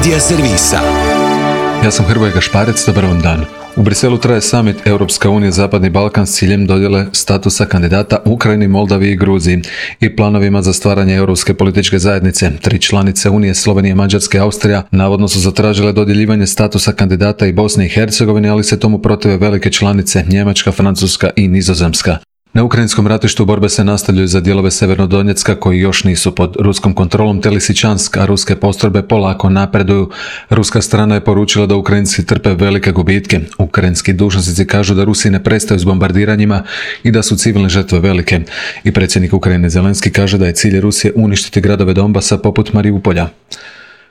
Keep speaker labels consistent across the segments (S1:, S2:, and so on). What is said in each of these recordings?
S1: Medija servisa.
S2: Ja sam Hrvoje Gašparec, dobar vam dan. U Briselu traje summit Europska unija Zapadni Balkan s ciljem dodjele statusa kandidata Ukrajini, Moldaviji i Gruziji i planovima za stvaranje europske političke zajednice. 3 članice Unije, Slovenija, Mađarska i Austrija, navodno su zatražile dodjeljivanje statusa kandidata i Bosni i Hercegovini, ali se tomu protive velike članice Njemačka, Francuska i Nizozemska. Na ukrajinskom ratištu borbe se nastavljaju za dijelove Sjevernodonjecka koji još nisu pod ruskom kontrolom, te Lisičansk, a ruske postrojbe polako napreduju. Ruska strana je poručila da Ukrajinci trpe velike gubitke. Ukrajinski dužnosnici kažu da Rusi ne prestaju s bombardiranjima i da su civilne žrtve velike. I predsjednik Ukrajine Zelenski kaže da je cilj Rusije uništiti gradove Donbasa poput Mariupolja.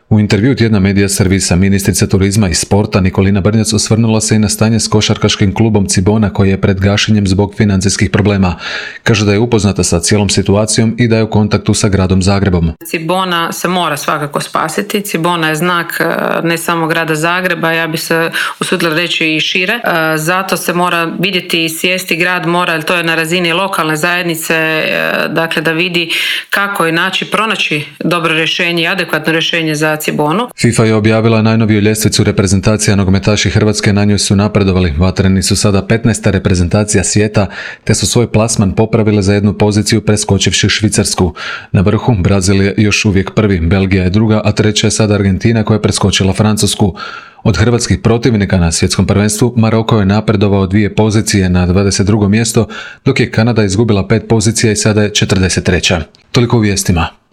S2: U intervjuu tjedna Medija servisa ministrica turizma i sporta Nikolina Brnjac osvrnula se i na stanje s košarkaškim klubom Cibona koji je pred gašenjem zbog financijskih problema. Kaže da je upoznata sa cijelom situacijom i da je u kontaktu sa gradom Zagrebom.
S3: Cibona se mora svakako spasiti. Cibona je znak ne samo grada Zagreba, ja bih se usudila reći i šire. Zato se mora vidjeti i sjesti grad mora, jer to je na razini lokalne zajednice, dakle da vidi kako je pronaći dobro rješenje i adekvatno rješenje za Cibonu.
S2: FIFA je objavila najnoviju ljestvicu reprezentacija. Nogometaši Hrvatske na njoj su napredovali. Vatreni su sada 15. reprezentacija svijeta, te su svoj plasman popravile za jednu poziciju preskočivši Švicarsku. Na vrhu Brazil je još uvijek prvi, Belgija je druga, a treća je sada Argentina koja je preskočila Francusku. Od hrvatskih protivnika na svjetskom prvenstvu Maroko je napredovao 2 pozicije na 22. mjesto, dok je Kanada izgubila 5 pozicija i sada je 43. Toliko u vijestima.